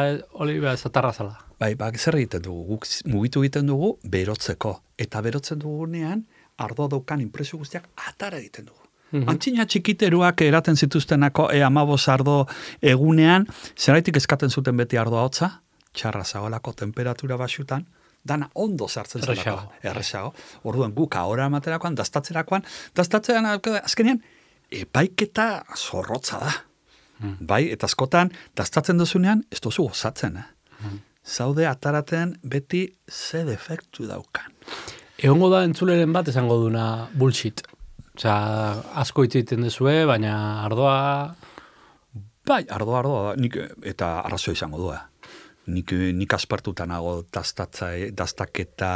hori ba, zatarra zala. Bai, ba, zer egiten dugu? Guk mugitu egiten dugu berotzeko. Eta berotzen dugunean, ardo daukan impresio guztiak atara egiten dugu. Mhm. Antxina txikiteruak eraten zituztenako e amabos ardo egunean, zeraitik eskaten zuten beti ardoa hotza, txarra zagoelako temperatura baxutan, dana ondo sartzen zelako. Erresago. Erresago. Orduan guk ahora materakoan, daztatzerakoan, daztatzean azkenean, epaiketa zorrotza da. Mm. Bai, eta askotan, daztatzen duzunean, ez duzu gozatzen, eh? Zaude ataraten beti ze defektu daukan. Egongo da entzuleren bat esango duna bullshit. Osea, asko hitz egiten duzue, baina ardoa... Bai, ardoa, ardoa, da. Nik, eta arrazoi izango du, eh? Nik, nik aspertuta nago daztatza, daztaketa,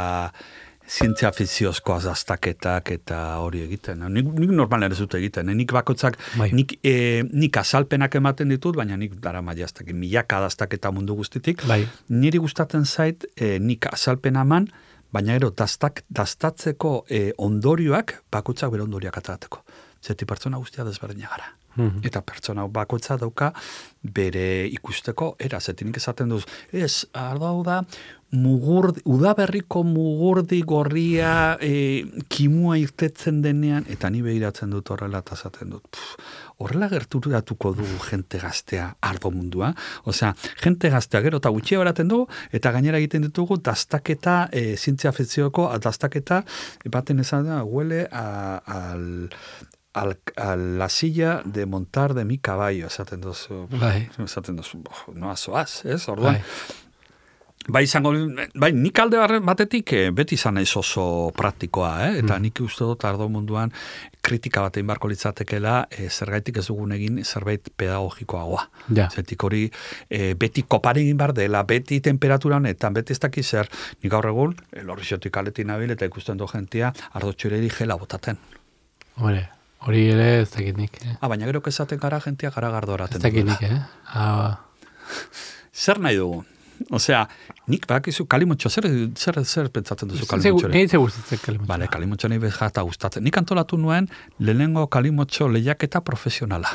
zientzia fiziozkoaz daztaketak eta hori egiten. Nik, nik normalen ez dut egiten. Eh? Nik bakotzak, Bai. nik, e, nik azalpenak ematen ditut, baina nik dara maiaztak, milaka daztaketa mundu guztitik. Bai. Niri gustatzen zait, e, nik azalpena eman, baina ero daztak, daztatzeko e, ondorioak bakotzak bere ondorioak aterateko. Zeti pertsona guztia desberdina gara. Mhm. Eta pertsona bakoitza dauka bere ikusteko era, zetinik esaten duz, ez, ardo hau da, mugurdi, udaberriko mugurdi gorria e, kimua irtetzen denean, eta ni behiratzen dut horrela eta esaten dut, pff, horrela gerturatuko dugu jente gaztea ardo mundua, osea, jente gaztea gero eta gutxia beraten dugu, eta gainera egiten ditugu daztaketa, e, zientzia fikzioko daztaketa, baten esan da, huele a, al... Al, a la silla de montar de mi caballo, esaten dozu, Bai. esaten dozu, no azoaz, ez, orduan. Bai. Bai, izango, bai, nik alde batetik eh, beti izan naiz oso praktikoa, eh? Eta Mm. nik uste dut ardo munduan kritika bat egin beharko litzatekela, eh, zergaitik ez dugun egin zerbait pedagogikoagoa. Ja. Zetik hori eh, beti kopare egin behar dela, beti temperaturan, eta beti ez dakiz zer, nik gaur egun, elorriziotik aletin nabil, eta ikusten du jentia, ardo txureri gela botaten. Hore, hori ere ez dakit nik, eh? Ah, baina gero esaten gara jentia gara gardoraten. Ez dakit dugula. nik, eh? Ah, Zer nahi dugu? Osea, nik bakizu kalimotxo, zer, zer, zer pentsatzen duzu Ze- kalimotxore? Nei ze gustatzen kalimotxoa. Bale, kalimotxo nahi bezata gustatzen. Nik antolatu nuen lehenengo kalimotxo lehiaketa profesionala.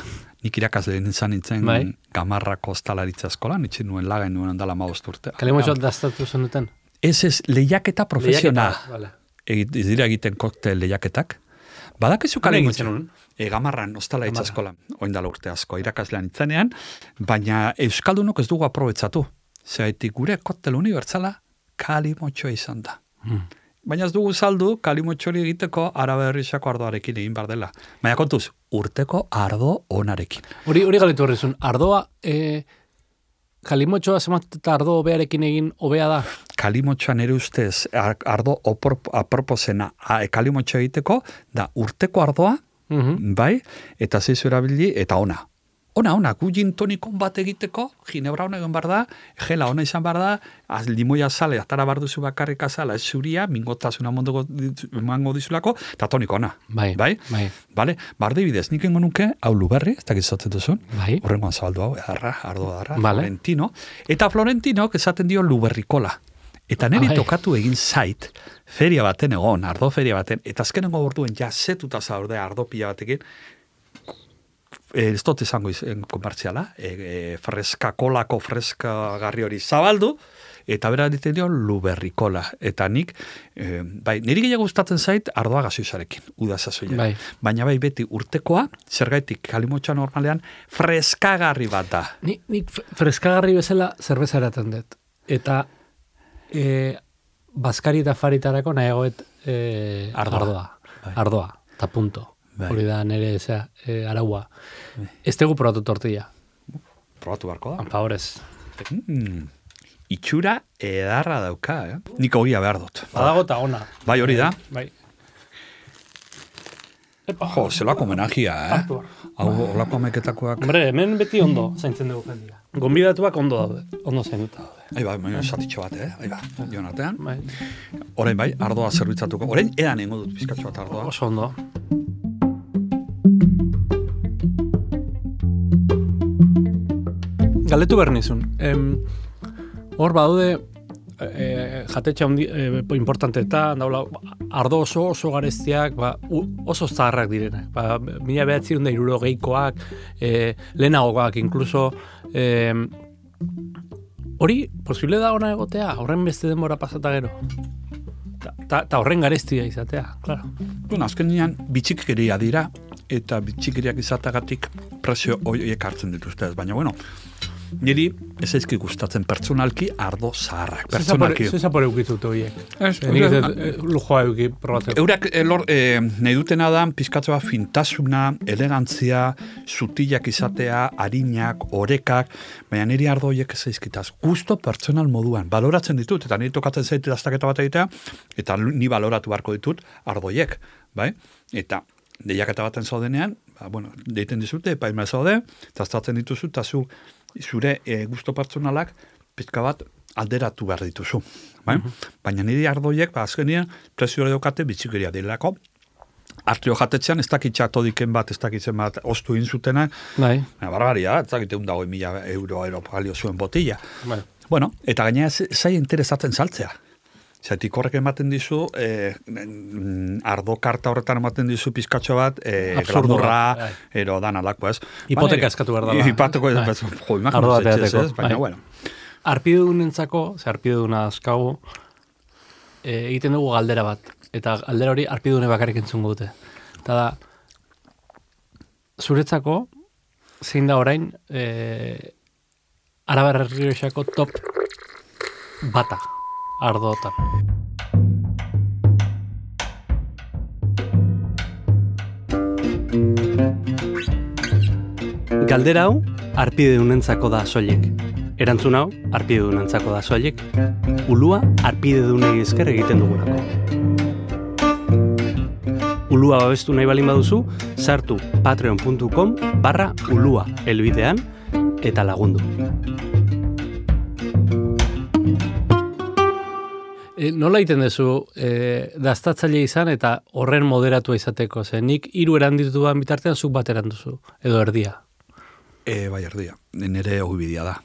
Nik irakasle nintzen nintzen Bai. Gamarrako ostalaritza eskolan, itxin nuen laga nuen andala maost urte. Kalimotxoa daztatu zenuten? Ez ez, lehiaketa profesionala. Lehiaketa, vale. Egit, ez dira egiten koktel lehiaketak. Badakizu Hala egin kalimotxo. zenuen? E, gamarran, ostalaritza Gamarra. eskolan, oindala urte asko, irakaslean itzenean, baina Euskaldunok ez dugu aprobetsatu. Zeraitik gure koktel unibertsala kalimotxoa izan da. Hmm. Baina ez dugu saldu, kalimotxori egiteko arabe herrixako ardoarekin egin bar dela. Baina kontuz, urteko ardo onarekin. Hori hori galetu horrezun, ardoa, e, kalimotxoa zemat eta ardo hobearekin egin hobea da? Kalimotxoan ere ustez, ar- ardo opor, aproposena a, kalimotxo egiteko, da urteko ardoa, Mhm. bai, eta zeizu erabili, eta ona. Ona, ona, gu gin tonikon bat egiteko, ginebra hona egin bar da, gela ona izan bar da, az limoia sale, atara bar duzu bakarrik azala, ez zuria, mingotasuna mondogo emango dizulako, eta toniko ona. Bai, Bai? bai, Bale, barde bidez, nik ingo nuke, hau luberri, ez dakit zaten duzun, bai. horrengoan zabaldu hau, edarra, ardo darra, Vale. Florentino, eta Florentinok esaten dio luberrikola. Eta niri Ai. tokatu egin zait, feria baten egon, ardo feria baten, eta azkenengo orduen ja zetuta zaude ardo pila batekin, e, ez dut izango izan komertziala, e, e, freska kolako freska garri hori zabaldu, eta bera ditzen dio luberrikola. Eta nik, e, bai, niri gehiago gustatzen zait ardoa gazoizarekin, udazazoia. Bai. Baina bai beti urtekoa, zergaitik kalimotxa normalean, freskagarri bat da. Ni, nik freskagarri bezala zerbeza eraten dut. Eta e, bazkari eta faritarako nahiagoet e, Ardoa. ardoa. Bai. Ardoa, eta punto. Bai. Hori da nire zera, e, araua. Bai. Ez tegu probatu tortilla. Probatu barko da. Favorez. Mm. Itxura edarra dauka, eh? Nik hogia behar dut. Badago eta ona. Bai, hori da. Bai. Epa. Jo, zelako homenagia, eh? Hartu behar. Hau, olako ameketakoak. Hombre, hemen beti ondo zaintzen dugu jendia. Gonbidatuak ondo daude. Ondo zainduta daude. Ai bai, baina satitxo bat, eh? Ai ba, dion artean. Bai. Orain bai, ardoa zerbitzatuko. Orain edan nengo dut pizkatxo bat ardoa. Oso ondo. Galdetu behar nizun. Em, hor badaude e, jatetxe handi, e, importanteetan, daula, ardo oso oso garestiak, ba, u, oso zaharrak direnak. Ba, mila behatzirun da iruro geikoak, e, lehenagoak, inkluso, e, hori, posible da ona egotea, horren beste denbora pasata gero. Eta horren garestia izatea, claro. Bueno, azken nian, bitxikeria dira, eta bitxikeriak izatagatik prezio horiek hartzen dituzte ez. Baina, bueno, niri ez ezki gustatzen pertsonalki ardo zaharrak. Pertsonalki. Zer zapore eukitut horiek? Ez, Nik ez lujoa euki probatzeko. Eurak elor, e, nahi dutena da, pizkatzoa fintasuna, elegantzia, zutilak izatea, harinak, orekak, baina niri ardo horiek ez ezkitaz. Gusto pertsonal moduan, baloratzen ditut, eta niri tokatzen zaitu daztaketa bat egitea, eta ni baloratu beharko ditut ardo horiek, bai? Eta deiaketa baten zaudenean, ba, bueno, deiten dizute, epaima zaude, eta aztatzen dituzu, eta zu, zure e, gusto pertsonalak pizka bat alderatu behar dituzu. Bai? Uh-huh. Baina niri ardoiek, ba, azkenean, prezio daukate bitxikeria dilako. Artio jatetzean, ez dakitxak todiken bat, ez dakitzen bat, ostu inzutena. Bai. Barbaria, ez dakite un dago mila euro aeropagalio zuen botilla. Bai. Bueno, eta gainera zai interesatzen saltzea. Zaitik horrek ematen dizu, eh, ardo karta horretan ematen dizu pizkatxo bat, eh, glamurra, ero dan alako, ez? Hipoteka eskatu behar dela. Hipoteko, ez, jo, imagino zetxez, ez? Baina, bueno. Arpidunentzako, ze arpiduna askagu, e, egiten dugu galdera bat. Eta galdera hori arpidune bakarrik entzungo dute. Eta da, zuretzako, zein da orain, e, Arabar Errioxako top bata. Ardotan. Galdera hau, arpidedunentzako da soilik. Erantzun hau, arpidedunentzako da soilik. Ulua, arpidedunei esker egiten dugulako. Ulua babestu nahi balin baduzu, sartu patreon puntu com barra ulua helbidean eta lagundu. E, nola egiten duzu e, daztatzaile izan eta horren moderatua izateko? Ze nik hiru eranditu bitartean zuk bat eranduzu, edo erdia. E, bai, erdia. Nere ogibidea da.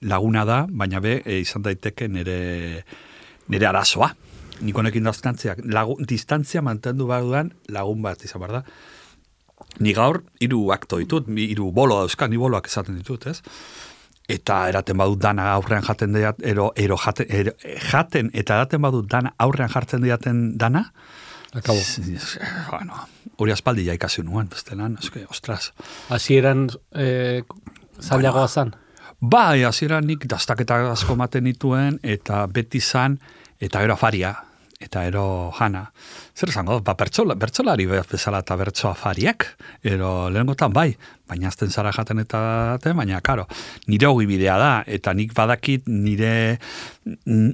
Laguna da, baina be, e, izan daiteke nere, nere arazoa. Nik honekin distantziak, lagu, distantzia mantendu behar dudan lagun bat izan behar da. Ni gaur, hiru akto ditut, hiru bolo dauzka, ni boloak esaten ditut, ez? Eta eraten badut dana aurrean jaten diat, ero, ero jaten, ero, jaten eta eraten badut dana aurrean jartzen diaten dana, Akabo. Bueno, hori aspaldi ja ikasi nuen, bestelan, eske, ostras. Hasieran e, zailagoa zan? Bai, hasieran nik dastaketa asko maten nituen, eta beti zan, eta gero afaria, eta ero jana. Zer esango, ba, bertsola, bertsolari bezala eta bertso afariek, ero lehengotan bai, baina azten zara jaten eta daten, baina karo, nire hogi bidea da, eta nik badakit nire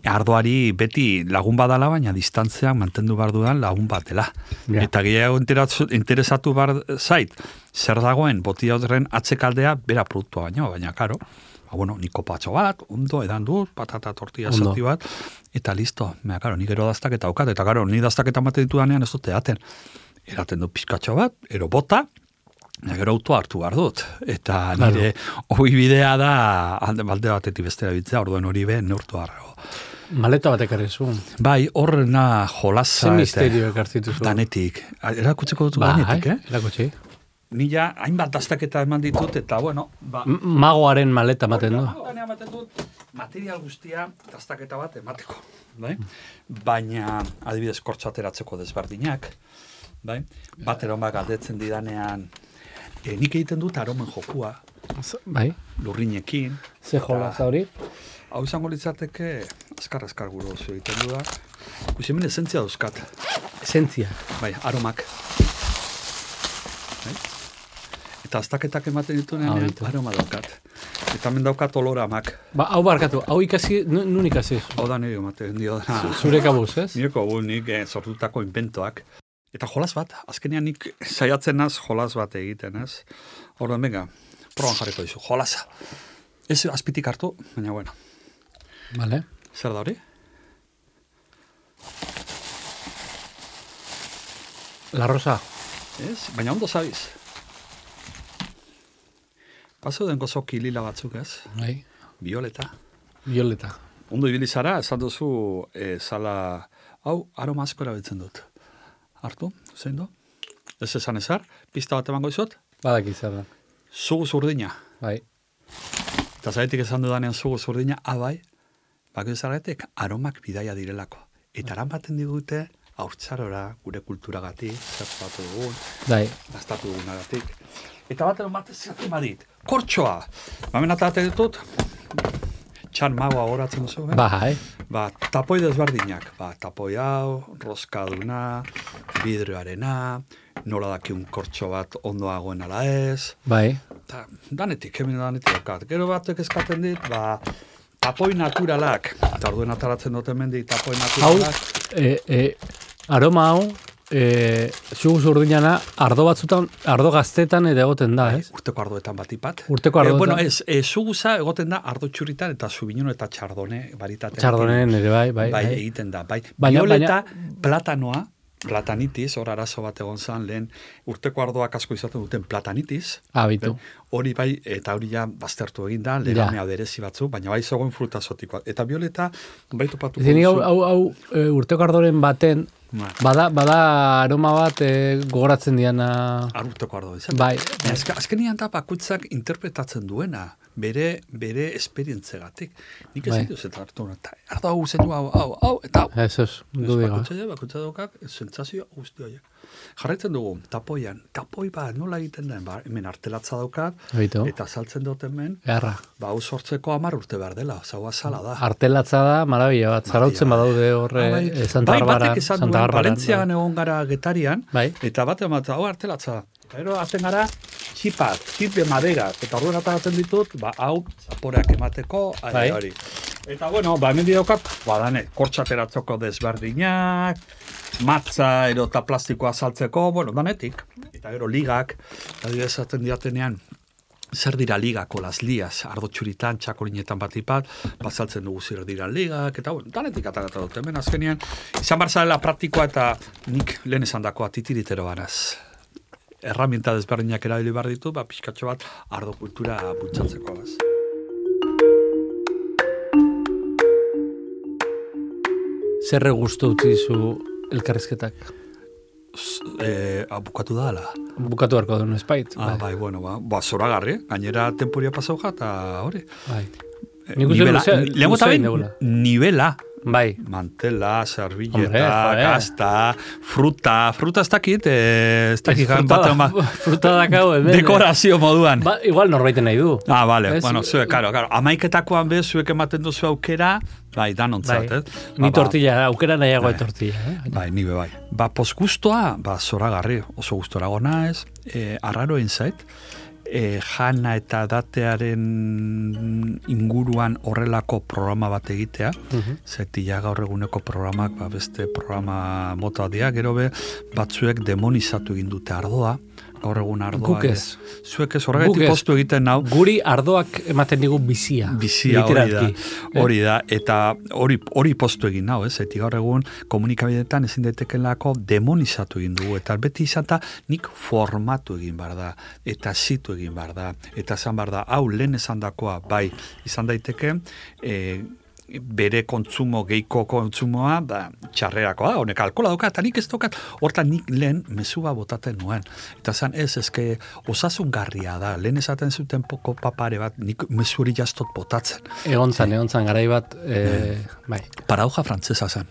ardoari beti lagun badala, baina distantzean mantendu behar dudan lagun bat dela. Yeah. Eta gehiago interesatu behar zait, zer dagoen botila horren atzekaldea, bera produktua baino, baina karo, ba, bueno, niko patxo bat, ondo, edan dut, patata tortilla zati bat, eta listo, mea, karo, nik ero daztaketa aukat, eta karo, ni daztaketa mate ditu danean ez dute daten. Eraten du pizkatxo bat, ero bota, gero auto hartu behar dut. Eta nire hori bidea da, alde balde batetik bestera bitzea, orduen hori be, neurtu harrego. Maleta batek arrezu. Bai, horrena jolasa. Ze misterio ekartzitu zu. Danetik. Erakutzeko dut Ba, danetik, eh? Erakutsi. Nila hainbat dastaketa eman ditut, eta bueno... Ba, magoaren maleta ematen du. Magoaren ematen dut, material guztia dastaketa bat emateko. Bai? Baina, adibidez, kortxo ateratzeko desberdinak, bai? Bat eromak galdetzen didanean, e, nik egiten dut aromen jokua, bai? Lurrinekin. Ze jolaza hori? Hau izango litzateke, azkar-azkar guru oso egiten du da. Guzi hemen esentzia dauzkat. Esentzia? Bai, aromak. Bai? Eta aztaketak ematen ditu nean, aroma daukat. Eta hemen daukat oloramak. Ba, hau barkatu, hau ikasi, nun ikasi? Hau da nire ematen dio da. Zure kabuz, ez? Nire kabuz, nik eh, sortutako inventoak. Eta jolas bat, azkenean nik saiatzen naz jolas bat egiten, ez? Orduan, venga, proban jarriko dizu, jolasa. Ez azpitik hartu, baina bueno. Vale. Zer da hori? La rosa. Ez, baina ondo zabiz. Paso den gozo kilila batzuk, ez? Bai. Violeta. Violeta. Ondo ibili zara, esan duzu, e, zala, hau, aroma asko erabiltzen dut. Hartu, zein du? Ez esan ezar, pista bat emango izot? Badak izan da. Zugu zurdina. Bai. Eta zaretik esan dudanean zugu zurdina, abai, bako izarretek aromak bidaia direlako. Eta aran baten digute, haurtzarora, gure kulturagatik, zertzatu dugun, Dai. gaztatu dugunagatik. Eta bat eron bat ez badit, kortxoa. Bamen atate ditut, txan magoa horatzen duzu, eh? Bai. Ba, tapoi desberdinak. Ba, tapoi hau, roskaduna, vidrioarena, nola dakiun kortxo bat ondoagoen ala ez. Bai. Ta, danetik, hemen danetik daukat. Gero batek eskaten dit, ba, tapoi naturalak. Eta orduen ataratzen dut hemen dit, tapoi naturalak. Hau, e, e, aroma hau, e, zugu zurdinana, ardo batzutan, ardo gaztetan ere egoten da, ez? Urteko ardoetan batipat. Urteko ardoetan. E, bueno, ez, e, zuguza egoten da ardo txuritan eta zubinun eta txardone baritatean. Txardonen ere, bai, bai. Bai, bai. egiten da, bai. Baina, Violeta, baina... platanoa, platanitis, hor arazo bat egon zan, lehen urteko ardoak asko izaten duten platanitis. Abitu. Hori bai, eta hori ja baztertu egin da, legamea berezi batzu, baina bai zegoen fruta zotikoa. Eta Violeta, baitu patuko duzu. Hau, hau, hau e, urteko ardoren baten, bada, bada aroma bat e, gogoratzen diana... Urteko ardo, izan? Bai. Azka, azkenian da bakutzak interpretatzen duena, bere, bere esperientzegatik. Nik ez ditu zeta hartu, eta ardo hau zen du, hau, hau, hau, eta hau. Ez, ez, du diga. Bakutza bakutza daukak, sentsazio guzti horiek. Jarraitzen dugu, tapoian, tapoi bat nola egiten den, ba, hemen artelatza daukat, Beitu. Eta saltzen dut hemen, Garra. Ba, hau sortzeko hamar urte behar dela, zaua sala da. Artelatza da, marabila bat, zarautzen badaude horre bai, e, Santa Barbaran. Bai, batek esan duen, Valentziagan egon gara Getarian, bai. Eta bat emat, hau artelatza da. Eta ero hazen gara, txipat, txip de madera, eta orduen ataratzen ditut, ba, hau, zaporeak emateko, ari hori. Eta bueno, ba, hemen didaukat, ba, dane, kortxateratzeko desberdinak, matza, ero eta plastikoa saltzeko, bueno, danetik. Eta gero ligak, eta esaten diatenean, zer dira ligako las lias, ardo txuritan, txakolinetan batipat, bazaltzen dugu zer dira ligak, eta bueno, danetik atarata dut, hemen azkenean, izan barzalela praktikoa eta nik lehen esan dakoa titiritero banaz. Herramienta desberdinak erabili behar ditu, ba, pixkatxo bat ardo kultura bultzatzekoaz. Zerre guztu utzi zu elkarrizketak? E, bukatu da, ala? Bukatu harko duen espait. Ah, bai, bueno, ba, ba zoragarri, gainera temporia pasau eta hori. Bai. E, nivela, lehenko eta behin, nivela. Bai. Mantela, servilleta, gazta, fruta, fruta ez dakit, ez dakit. Fruta, fruta dakau, dekorazio moduan. Ba, igual norbaiten nahi du. Ah, vale, es, bueno, zuek, karo, karo. Amaiketakoan bez, zuek ematen duzu aukera, bai, danontzat, bai. eh? Ni ba, tortilla, aukera nahiago bai. tortilla, eh? Bai, nibe bai. Ba, posgustoa, ba, zoragarri, oso gustorago naiz, eh, arraro zait, E, jana eta datearen inguruan horrelako programa bat egitea, uh-huh. Zeti ja gaur eguneko programak, ba, beste programa mota dia, gero be, batzuek demonizatu egin dute ardoa, gaur egun ardoa. Guk ez. Zuek ez horregatik postu egiten nau. Guri ardoak ematen digu bizia. Bizia, hori da. Hori da, eta hori, hori postu egin nau, ez? Eti gaur egun komunikabideetan ezin daitekelako demonizatu egin dugu, eta beti izata nik formatu egin behar da, eta zitu egin behar da, eta esan behar da, hau lehen esan dakoa, bai, izan daiteke, e, bere kontsumo, geiko kontsumoa, da, txarrerakoa, honek alkola dauka, eta nik ez daukat, hortan nik lehen mesua botaten nuen. Eta zan ez, ezke osasungarria da, lehen esaten zuten poko papare bat, nik mesuri jastot botatzen. Egon zan, egon zan, garai bat, e, bai. Paradoja frantzesa zen.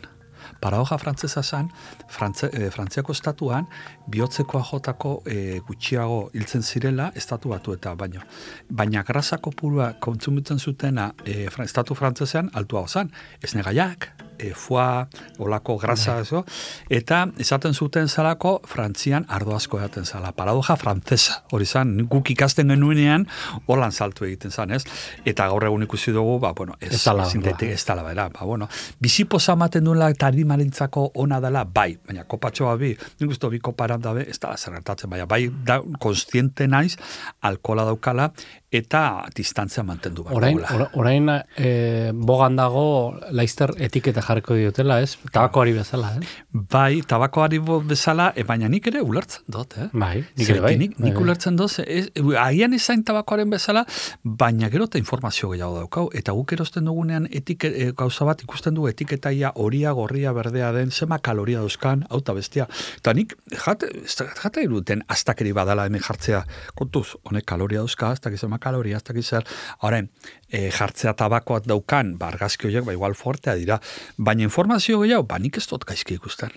Paradoja frantzesa zen, Frantze, e, Frantziako estatuan, bihotzekoa jotako e, gutxiago hiltzen zirela, estatu batu eta baino. Baina grasako purua kontsumitzen zutena e, estatu frantzesean altua zen, ez negaiak, e, foie, olako grasa, eso, eta esaten zuten zalako Frantzian ardo asko edaten zala. Paradoja frantzesa, hori zen, guk ikasten genuenean, holan saltu egiten zen, ez? Eta gaur egun ikusi dugu, ba, bueno, ez, zintetik ez tala, bera, ba, bueno, bizipoza ematen duela eta arimarentzako ona dela, bai, baina kopatxoa bi, nik uste bi koparan dabe, ez dala zerretatzen, baina bai, da, konstiente naiz, alkola daukala, eta distantzia mantendu behar orain, dugula. Orain, e, bogan dago, laizter etiketa jarriko diotela, ez? Tabakoari bezala, eh? Bai, tabakoari bezala, e, baina nik ere ulertzen dut, eh? Bai, nik ere bai. Nik, nik ulertzen dut, ez, agian ezain tabakoaren bezala, baina gero eta informazio gehiago daukau, eta guk erosten dugunean etike, e, gauza bat ikusten dugu etiketaia horia, gorria, berdea den, zema kaloria dauzkan, auta bestia. Eta nik, jate, jate iruten astakeri badala hemen jartzea, kontuz, honek kaloria dauzka, ez dakiz zema kaloria, ez dakiz zer, horren, e, jartzea tabakoat daukan, ba, argazki horiek, ba, igual fortea dira, baina informazio gehiago, ba, nik ez dut gaizki ikusten.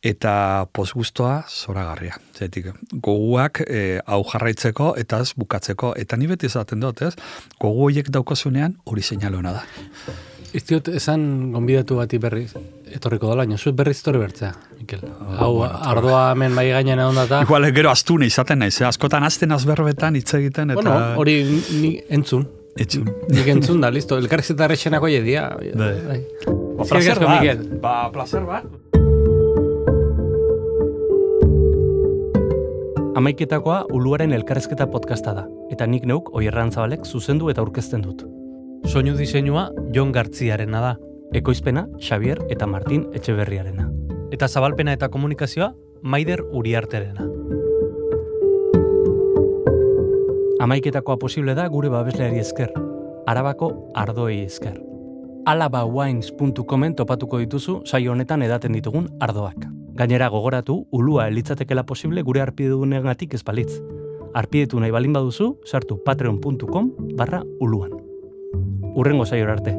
Eta posgustoa zoragarria. Zetik, goguak e, hau jarraitzeko eta ez bukatzeko. Eta ni beti esaten dut, ez? Gogu horiek daukazunean hori seinalona da. Ez diot, esan gonbidatu bati berriz, etorriko dola, baina zuet berriz torri bertzea, Mikel. Oh, hau, bueno, ardoa hemen bai gainen egon data. Igual, gero astune izaten naiz, eh? Askotan azten azberbetan hitz egiten. Eta... Bueno, hori ni entzun. Etxun. Nik entzun da, listo. Elkarrizketa errexenako jedia. Bai. Ba, placer bat. Ba, placer bat. Amaiketakoa Uluaren elkarrezketa podcasta da, eta nik neuk Oierran Zabalek zuzendu eta aurkezten dut. Soinu diseinua Jon Gartziarena da. Ekoizpena Xavier eta Martin Etxeberriarena. Eta zabalpena eta komunikazioa Maider Uriarterena. Amaiketakoa posible da gure babesleari esker, Arabako ardoei esker. alabawines puntu comen topatuko dituzu saio honetan edaten ditugun ardoak. Gainera gogoratu, ulua elitzatekela posible gure arpidedunegatik ez balitz. Arpidetu nahi balin baduzu, sartu patreon puntu com barra uluan. Urrengo saiora arte.